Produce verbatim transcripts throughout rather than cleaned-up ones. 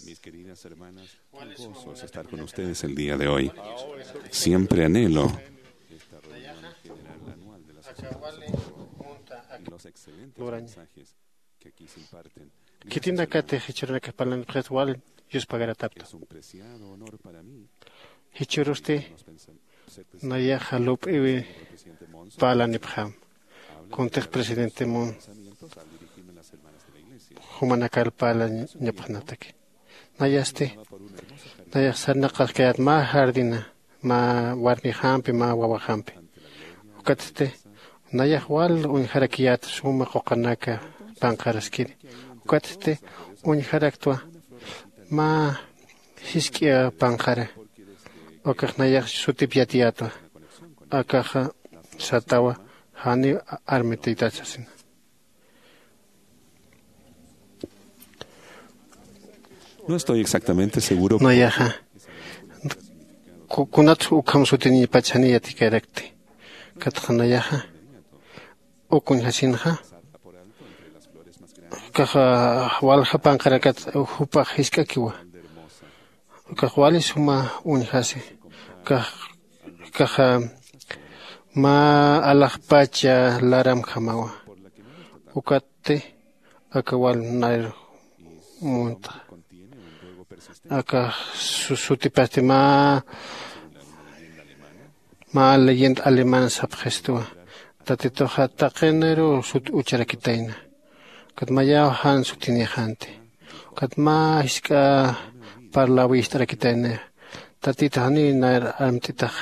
Mis queridas hermanas, un gozo es estar con ustedes el día de hoy. Siempre anhelo esta reunión general anual de las escuelas dominicanas y los excelentes mensajes que aquí se imparten. Khitinakatix jichhürunakax parlanipxit wal yuspagarapxta. Es un preciado honor para mí. Jichhürusti nayaxa lup'iwi parlanipxam. Kuntix presidente Mon jumanakar parlañapxanataki. Nayasti nayax sarnaqaskayät mä jardina, mä warmixampi, mä wawaxampi. Ukatsti nayax wal uñjarakiyät suma quqanaka panqaraskiri. Ukatsti uñjaraktwa mä jisk'a panqara. Ukax nayax sutip yatiyätwa. Akaxa satawa janiw armt'itat sasina. No estoy exactamente seguro. Nayaxa ku- kunat ukham sutiniñpach janiw yatikarakti. Ukatxa nayaxa uk uñjasinxa, ukaxa walja panqarakat jupax jisk'akiwa. Ukax wali suma uñjasi. Ukax ukaxa mä alaxpacha laramjamawa. Ukatti aka wal nayr muntxa. Aka su- sutipasti mä mä leyenda alemana sapxistuwa. Tatituxa taqiniruw sut ucharakitayna. Ukat mayaw jan sutinixanti. Ukat mä jisk'a parlaw ist'arakitayna. Tatitux janiw nayr armt'itax.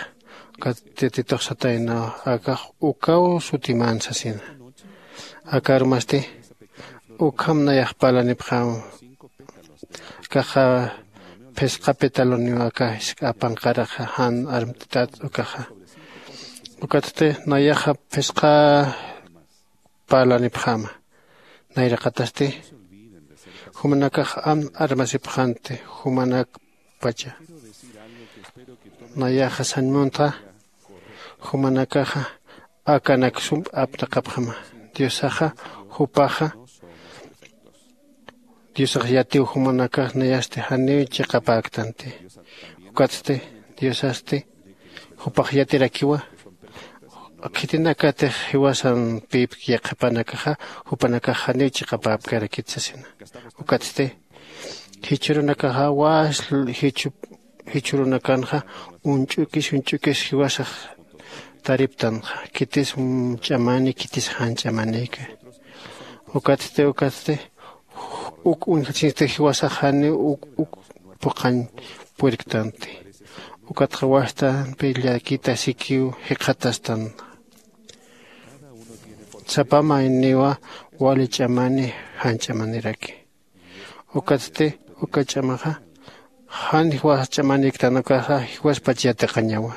Ukat tatitux sataynaw akax ukaw sutiman sasina. Aka arumasti ukham nayax parlanipxam. Akaxa phisqa petaloniw aka jisk'a panqaraxa jan armt'itat ukaxa. Ukatsti nayaxa phisqa parlanipxäma. Nayraqatasti jumanakax am armasipxanti jumanakpacha. Nayaxa sañ muntxa jumanakaxa akanak sum apnaqapxama. Diosaxa jupaxa diosax yatiw jumanakax nayasti janiw chiqapäktanti. Ukatsti diosasti jupax yatirakiwa. Khitinakatix jiwasampïpki yaqhipanakaxa jupanakax janiw chiqapäpkarakit sasina. Ukatsti jichhürunakaxa wasl jichhu jichhürunakanxa uñch'ukis uñch'ukis jiwasax tariptanxa. Khitis ch'amani khitis jan ch'amanïka. Ukatsti ukatsti uk uñjasinsti jiwasax janiw uk uk phuqhañ purktanti. Ukatxa wastampi llakita sikiw jikxatastan. Sapa mayniwa wali ch'amani jan ch'amaniraki. Ukatsti uka ch'amaxa jan jiwas ch'amaniktan ukaxa jiwaspach yatiqañawa.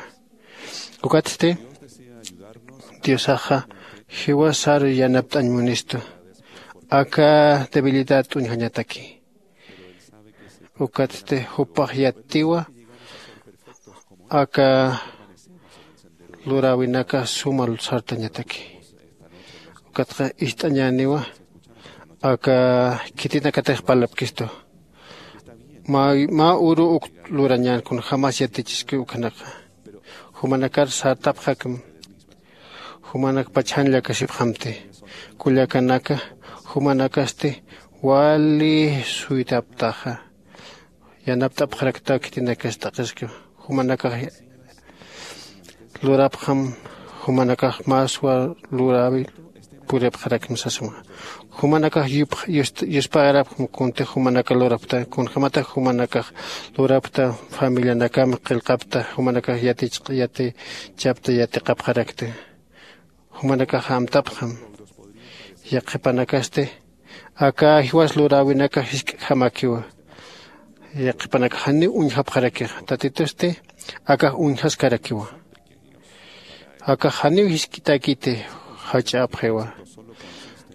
Ukatsti diosaxa jiwasaru yanapt'añ munistu aka debilidad t'uñjañataki. Ukatsti jupax yatiwa aka luräwinaka suma sartañataki. Ukatxa ist'añäniwa aka khitinakatix parlapkistu. Mä uru uk lurañän kunjämas yatichiski ukhanaka. Jumanakar sartapxakim. Jumanakpach jan llakasipxamti. Kullakanaka jumanakasti wali suytaptaxa. Yanapt'apxaraktaw khitinakas t'aqhiskiw. Jumanakax lurapxam jumanakax maswa luräwi puripxarakma sasma. Jumanakax yuspagarapxam kuntix jumanaka lurapxta kunjämatax jumanakax lurapxta familianakam qillqapxta jumanakax yatichapxta yatiqapxarakta. Jumanakax amtapxam. Yaqhipanakasti aka jiwas luräwinakax jisk'jamakiwa. Yaqhipanakax janiw uñjapxarakixa tatitusti akax uñjaskarakiwa. Akax janiw jisk'itäkiti jach'apxiwa.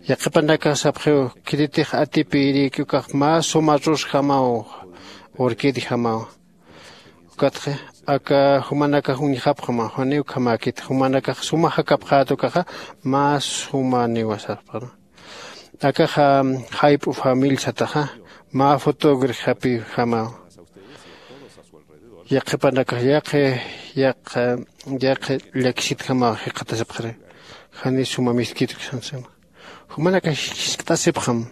Yaqhipanakax sapxiw khititix atipïrïki ukax mä suma rosjamaw urkitjamaw. Ukatxa aka jumanakax uñjapxama janiw ukhamäkiti jumanakax suma jakapxät ukaxa mä sumaniwa sapxama. Akaxa jayp'u famil sataxa mä fotógrafapijamaw. Yaqhipanakax yaqi yaqi yaqi llakisitjamaw jikxatasipxari. Jani suma miskitki sansima. Jumanakax jiskt'asipxam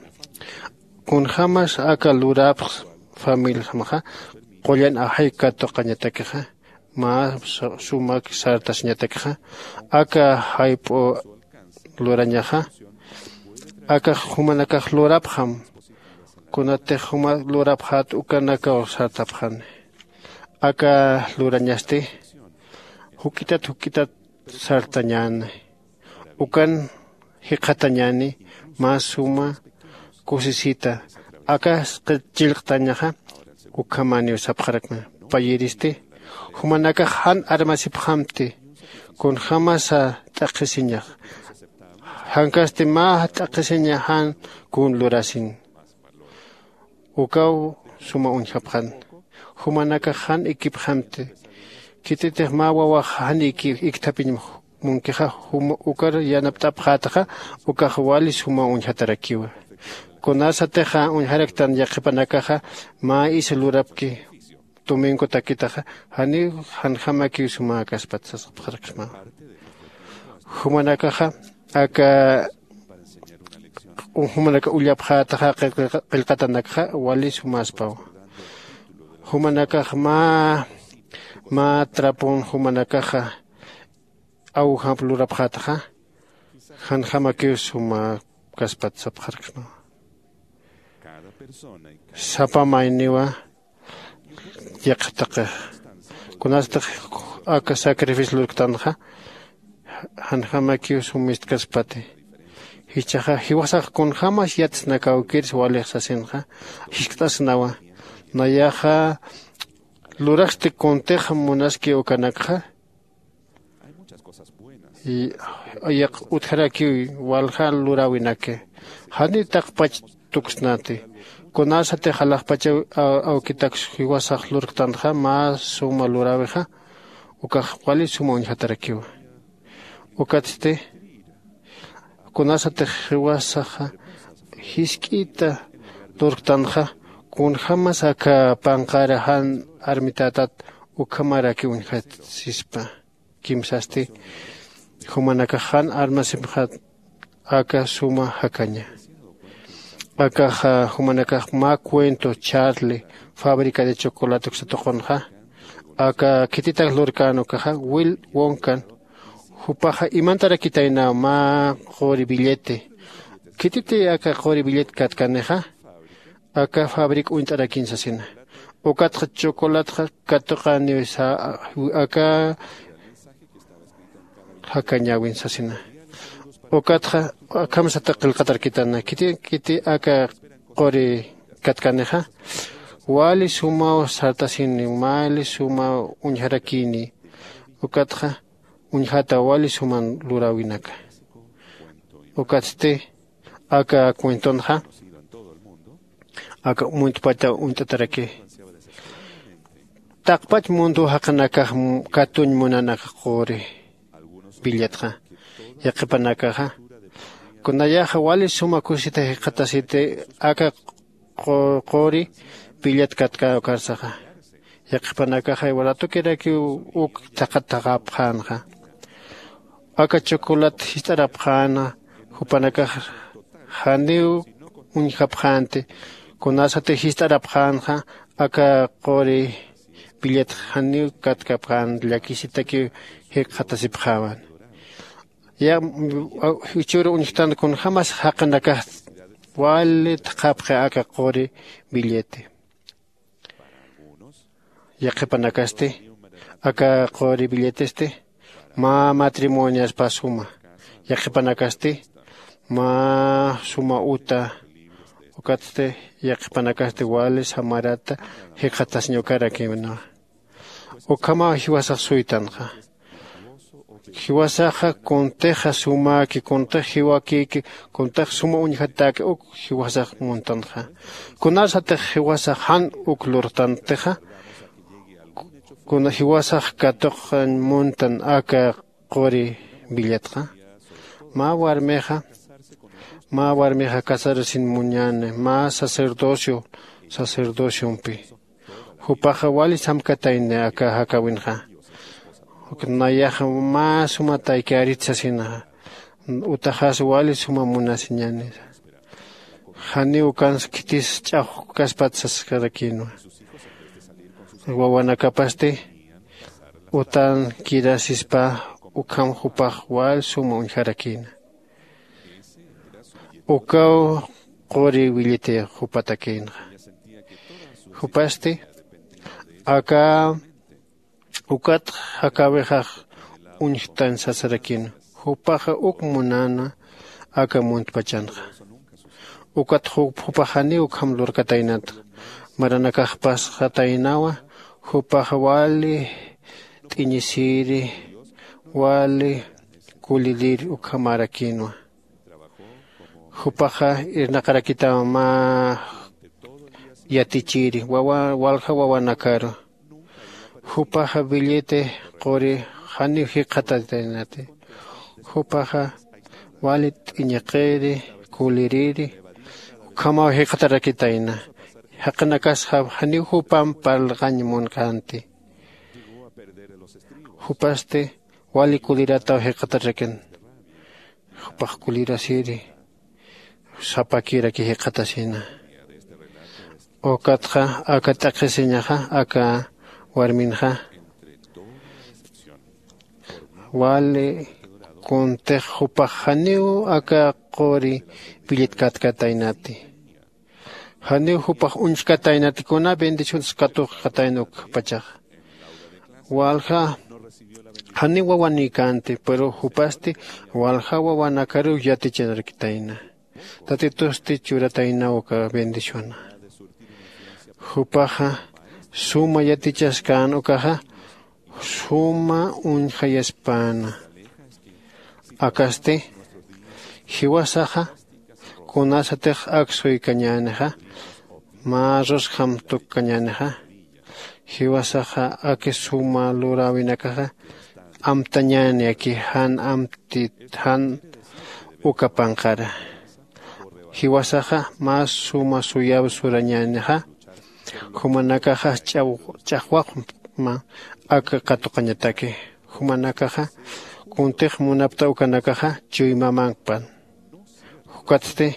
kunjämas aka lurapx familjamaxa qullan ajay katuqañatakixa mä sumak sartasiñatakixa aka jayp'u lurañaxa. Akax jumanakax lurapxam kunatix juma lurapxät ukanakaw sartapxani. Aka lurañasti juk'itat juk'itat sartañäni. Ukan jikxatañäni mä suma kusisita. Aka chillqtañaxa ukhamäniw sapxarakma. Payïristi jumanakax jan armasipxamti kunjämasa t'aqhisiñax. Jankasti mä t'aqhisiña jan kun lurasin. Ukaw suma uñjapxan. Jumanakax jan ikipxamti. Khititix mä wawax jan ikipxamti. Munkixa juma ukar yanapt'apxätaxa ukax wali suma uñjatarakiwa. Kunasatixa uñjaraktan yaqhipanakaxa mä isa lurapki tuminkutakitaxa janiw janjamakiw sumäkaspat sasxapxaraksmawa. Jumanakaxa aka jumanaka ullapxätaxa qillqatanakxa wali sumäspawa. Jumanakax mä mä trapon jumanakaxa awjamp lurapxätaxa janjamakiw sumäkaspat sapxaraksmawa. Sapa mayniwa yaqha taqix kunastix aka sacrificio lurktanxa janjamakiw sumistkaspati. Jichhaxa jiwasax kunjämas yatsnakawkirsa walix sasinxa jiskt'asnawa. Nayaxa luraxsti kuntix munaski ukanakxa yaq utjarakiw walja luräwinaki. Janiw taqpach tuksnati kunasatix alaxpachaw awkitaks jiwasax lurktanxa mä suma luräwixa ukax wali suma uñjatarakiwa. Ukatsti kunasatix jiwasaxa jisk'ita lurktanxa kunjämas aka panqara jan armitätat ukhamarakiw uñjasispa. Kimsasti jumanakax jan armasipxät aka suma jakaña. Akaxa jumanakax mä cuento charlie fábrica de chocolate uksatuqunxa aka khititak lurkän ukaxa wil wonkan. Jupaxa imantarakitaynaw mä quri billete. Khititi aka quri billet katkanixa aka fabric uñt'arakin sasina. Ukatxa chocolatxa katuqaniw aka jakañäwin sasina. Ukatxa akham sata qillqatarkitana khiti khiti aka quri katkanixa wali sumaw sartasini wali sumaw uñjarakini. Ukatxa uñjata wali suman luräwinaka. Ukatsti aka cuentonxa aka muntpata uñt'ataraki. Taqpach mundu jaqinakax katuñ munan aka quri billetxa. Yaqhipanakaxa kunayaxa wali suma kusita jikxatasiti aka quri billet katkäkarsaxa. Yaqhipanakaxa iwaratukirakiw uk thaqhat thaqhapxänxa. Aka chocolat jist'arapxäna jupanakax janiw uñjapxänti. Kunasati jist'arapxänxa aka quri billetx janiw katkapxän llakisitakiw jikxatasipxäwan. Ya jichhür uñjtan kunjämas jaqinakax wali thaqhapxi aka quri billete. Yaqhipanakasti aka quri billetesti mä matrimoniaspa suma. Yaqhipanakasti mä suma uta. Ukatsti yaqhipanakasti wali samarata jikxatasiñ ukarakïna. Ukhamaw jiwasax suytanxa. Jiwasaxa kuntixa sumäki kuntix jiwakïki kuntix suma uñjatäki uk jiwasax muntanxa. Kunasatix jiwasax jan uk lurtantixa kuna jiwasax katuqañ muntan aka quri billetxa. Mä warmixa mä warmixa casarasin muñäni mä sacerdocio sacerdociompi. Jupaxa wali samkatayni aka jakäwinxa. Nayaxa mä suma taykärit sasina. Utaxas wali suma munasiñäni. Janiw ukans khitis ch'axwkaspat sasarakïnwa. Wawanakapasti utan kirasispa ukham jupax wal suma uñjarakïna. Ukaw quri williti jupatakïnxa. Jupasti aka ukat jakäwixax uñjtan sasarakïna. Jupaxa uk munäna aka muntpachanxa. Ukat jupax janiw ukham lurkataynatxa. Maranakax pasxataynawa. Jupax wali t'uñisiri wali kulirir ukhamärakïnwa. Jupaxa irnaqarakitaw mä yatichiri walja wawanakaru. Jupaxa billete quri janiw jikxatataynati. Jupaxa wali t'uñiqiri kuliriri ukhamaw jikxatarakitayna. Jaqinakas janiw jupamp parlqañ munkänti. Jupasti wali kulirataw jikxatarakin. Jupax kulirasiri sapakiraki jikxatasina. Ukatxa aka t'aqhisiñaxa aka warminxa wali kuntix jupax janiw aka quri billetkatkataynati. Janiw jupax uñchkataynati kuna bendiciones katuqkatayna ukpachaxa. Walja janiw wawanïkänti pero jupasti walja wawanakaruw yatichanarakitayna. Tatitusti churataynaw uka bendiciona. Jupaxa suma yatichaskän ukaxa suma uñjayaspäna. Akasti jiwasaxa kunasatix ak suykañänixa mä rusjam tukkañänixa jiwasaxa aki suma luräwinakaxa amtañäni aki jan amtit jan uka panqara. Jiwasaxa mä suma suyaw surañänixa jumanakaxa ch'axwaqma aka katuqañataki. Jumanakaxa kuntix munapta ukanakaxa chuymamankpan. Ukatsti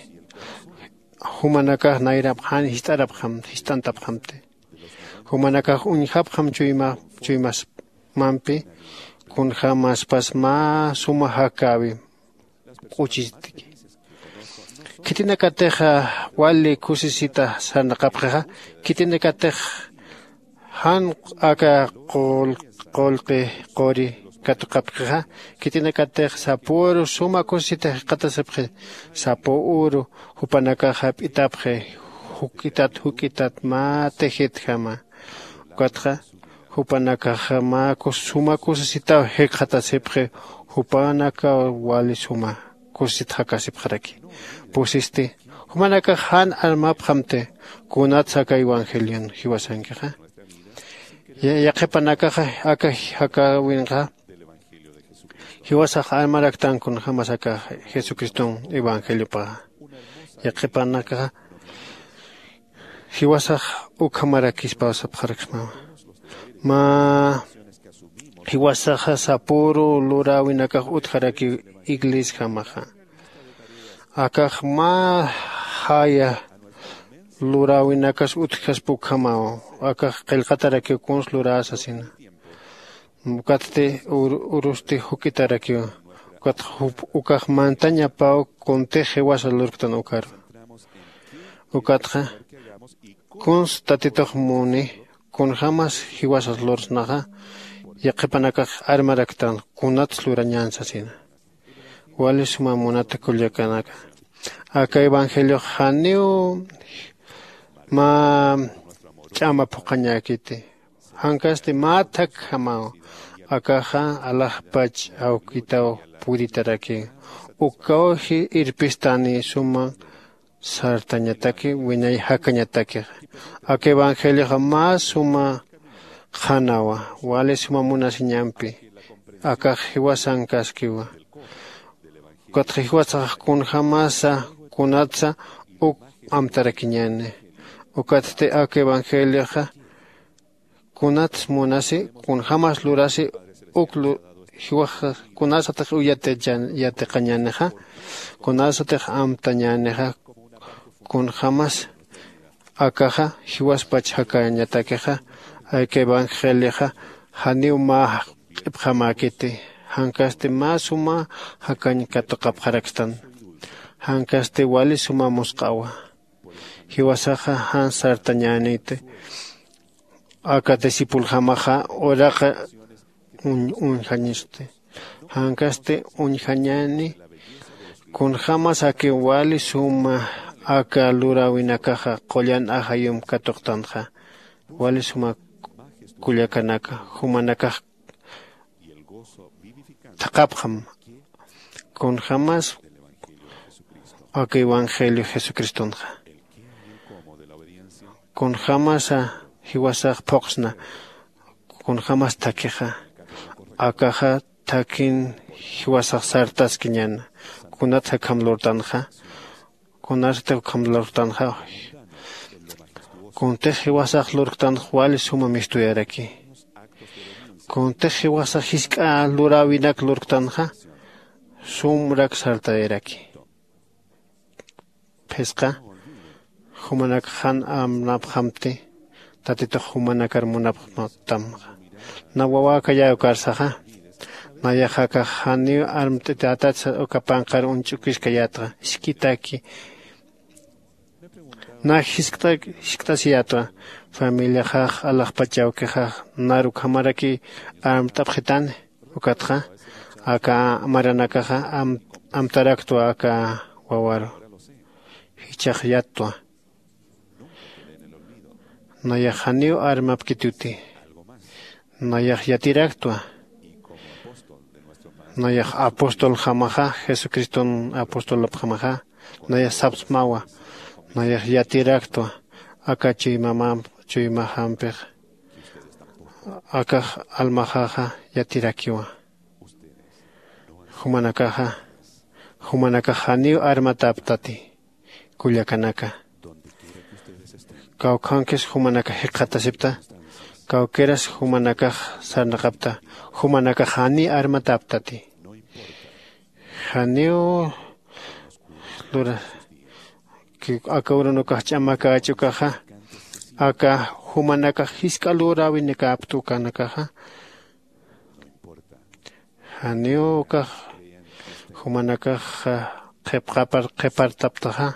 jumanakax nayrap jan jist'arapxam jist'antapxamti. Jumanakax uñjapxam chuymasmampi kunjämaspas mä suma jakäwi. K'uchistki khitinakatix wali kusisita sarnaqapxixa khitinakatix jan aka qullqi quri katuqapxixa khitinakatix sapüru suma kusisita jikxatasipxi. Sapüru jupanakax jap'itapxi juk'itat juk'itat mä tijitjama. Ukatxa jupanakax mä suma kusisitaw jikxatasipxi. Jupanakaw wali suma kusisit jakasipxaraki. Pusisti jumanakax jan armapxamti kunatsa aka evangelion jiwasankixa. Yaqhipanakaxa aka jakäwinxa jiwasax armaraktan kunjämas aka jesucriston evangeliopaxa. Yaqhipanakaxa jiwasax ukhamarakispaw sapxaraksmawa. Mä jiwasaxa sapüru luräwinakax utjarakiw iglesjamaxa. Akax mä jaya luräwinakas utjkaspa ukhamaw. Akax qillqatarakiw kuns luräsasina. Ukatsti urusti juk'itarakiw. Ukatxa ukax mantañapaw kuntix jiwasa lurktan ukaru. Ukatxa kuns tatitux muni kunjämas jiwasas lursnaxa yaqhipanakax armaraktan kunats lurañän sasina. Wali suma munata kullakanaka aka evangeliox janiw mä ch'ama phuqhañäkiti. Jankasti mä thakjamaw akaxa alaxpach awkitaw puritaraki. Ukawji irpistani suma sartañataki wiñay jakañatakixa. Aka evangelioxa mä suma qhanawa wali suma munasiñampi. Akax jiwasankaskiwa. Ukatxa jiwasax kunjämasa kunatsa uk amtarakiñäni. Ukatsti aka evangelioxa kunats munasi, kunjämas lurasi uk lu- jiwax kunasatix uyatiqañänixa, kunasatix amtañänixa, kunjämas akaxa jiwaspach jakañatakixa. Aka evangelioxa janiw mä q'ipxamäkiti, jankasti mä suma jakañ katuqapxarakstan, jankasti wali suma musq'awa. Jiwasaxa jan sartañäniti aka discipuljamaxa uraqa uñjañisti. Jankasti uñjañäni kunjämas aka wali suma aka luräwinakaxa qullan ajayump katuqtanxa, wali suma kullakanaka, jumanakax thaqhapxam kunjämas aka evangelio jesucristonxa. Kunjämasa jiwasax phuqsna, kunjämas thakixa, akaxa thakhin jiwasax sartaskiñäna. Kunat jakham lurtanxa, kunasatix ukham lurtanxa. Kuntix jiwasax lurktanxa wali suma mistuyaraki. Kuntix jiwasax jisk'a luräwinak lurktanxa sumrak sartayaraki. Phisqa jumanak jan armapxamti, tatitux jumanakar munapxtamxa. Na wawäkayäw karsaxa, nayax akax janiw armt'atätatsa uka panqar uñch'ukiskayätxa, isk'itaki. Na jiskt'asiyätxa, familiaxax alaxpach awkixax nar ukhamaraki armt'apxitani. Ukatxa aka maranakaxa amtaraktwa aka wawaru. Jichhax yattwa. Nayax janiw armapkituti. Nayax yatiraktwa. Nayax apostoljamaxa, jesucriston apostolapjamaxa, nayax sapsmawa. Nayax yatiraktwa aka chuymamamp chuymajampix. Akax almaxaxa yatirakiwa. Jumanakaxa jumanakax janiw armatäptati. Kullakanaka, kawkhankis jumanakax jikxatasipta, kawkiras jumanakax sarnaqapta, jumanakax janiy armatäptati. Janiw lura aka urunukax ch'amakäch ukaxa, aka jumanakax jisk'a luräwinikäpt ukanakaxa. Janiw ukax jumanakax qhipqapar qhipartaptaxa,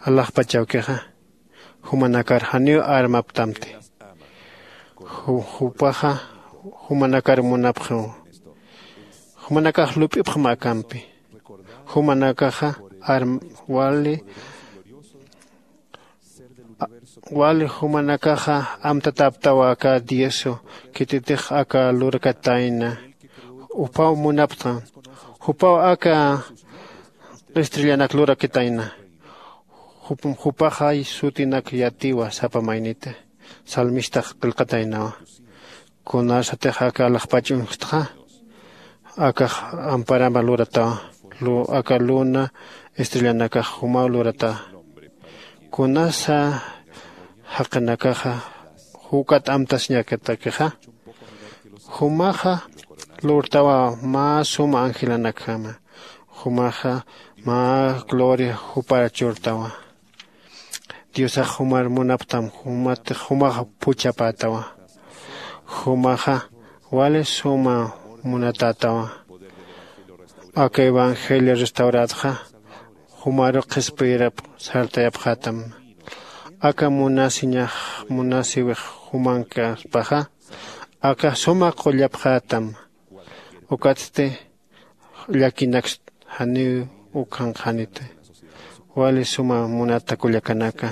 alaxpach awkixa jumanakar janiw armaptamti. Jupaxa jumanakar munapxiw. Jumanakax lup'ipxam akampi. Jumanakaxa wali wali jumanakaxa amtatäptawa aka dioso khititix aka lurakatayna. Jupaw munapxtam. Jupaw aka estrellanak lurakatayna. Jupaxay sutinak yatiwa sapa maynita. Salmistax qillqataynawa. Kunasatix aka alaxpach uñjtxa, akax amparama luratawa. Aka luna estrellanakax jumaw luratawa. Kunasa jaqinakaxa jukat amtasiñakatakixa, jumaxa lurtawa mä suma angelanakjama. Jumaxa mä gloria jupar churtawa. Diosax jumar munaptam, jumatix jumax phuchhapätawa. Jumaxa wali suma munatätawa. Aka evangelio restaurätxa jumaru qhispiyirap sartayapxätam. Aka munasiñax munasiwix jumankaspaxa, aka suma qullapxätam. Ukatsti llakinakst janiw ukhanqaniti. Wali suma munata kullakanaka,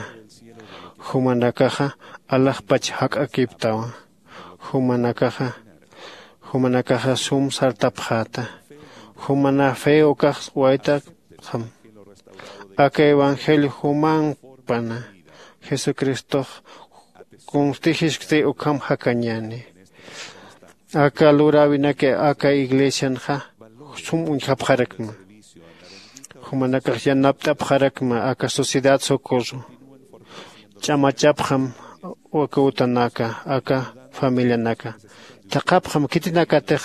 jumanakaxa alaxpach jak'akiptawa. Jumanakaxa jumanakaxa sum sartapxäta. Jumana fe ukax waytapxam. Aka evangelio jumanpana jesucristox kunstijiskti ukham jakañäni. Aka luräwinaki aka iglesianxa sum uñjapxarakma. Jumanakax yanapt'apxarakma aka sociedad socorro. Ch'amachapxam aka utanaka, aka familianaka. Thaqhapxam khitinakatix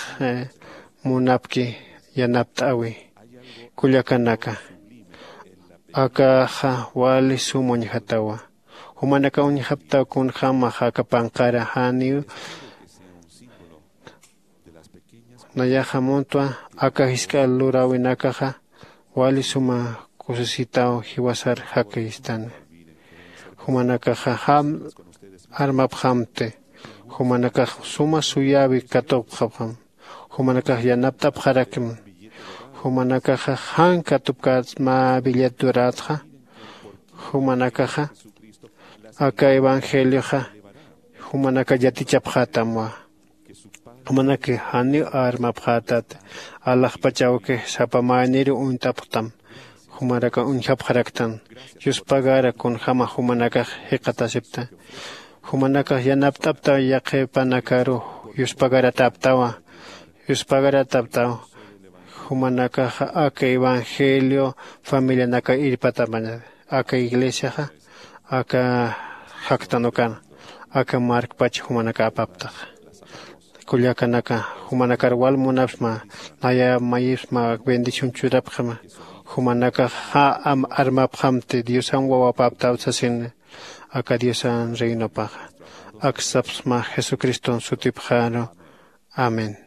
munapki yanapt'äwi. Kullakanaka, akaxa wali sum uñjatawa. Jumanaka uñjaptaw kunjämaxa aka panqara janiw. Nayaxa muntwa aka jisk'a luräwinakaxa wali suma kusisitaw jiwasar jakistani. Jumanakaxa jam armapxamti. Jumanakax suma suyäwi katupxapxam. Jumanakax yanapt'apxarakma. Jumanakaxa jan katupkät mä billet durätxa. Jumanakaxa aka evangelioxa jumanaka yatichapxätamwa. Jumanaki janiw armapxätati. Alaxpach awki sapa mayniru uñt'apxtam. Jumanaka uñjapxaraktan. Yuspagara kunjäma jumanakax jikxatasipta. Jumanakax yanapt'aptaw yaqhipanakaru. Yuspagaratäptawa. Yuspagaratäptaw. Jumanakaxa aka evangelio familianaka irpatapaña. Aka iglesiaxa aka jaktan ukan aka markpach jumanaka apaptaxa. Kullakanaka, jumanakar wal munapsma, naya mayipsma bendición churapxama. Jumanakax ja armapxamti diosan wawapaptaw sasini. Aka diosan reinopaxa aksapsma jesucriston sutipxaru. Amén.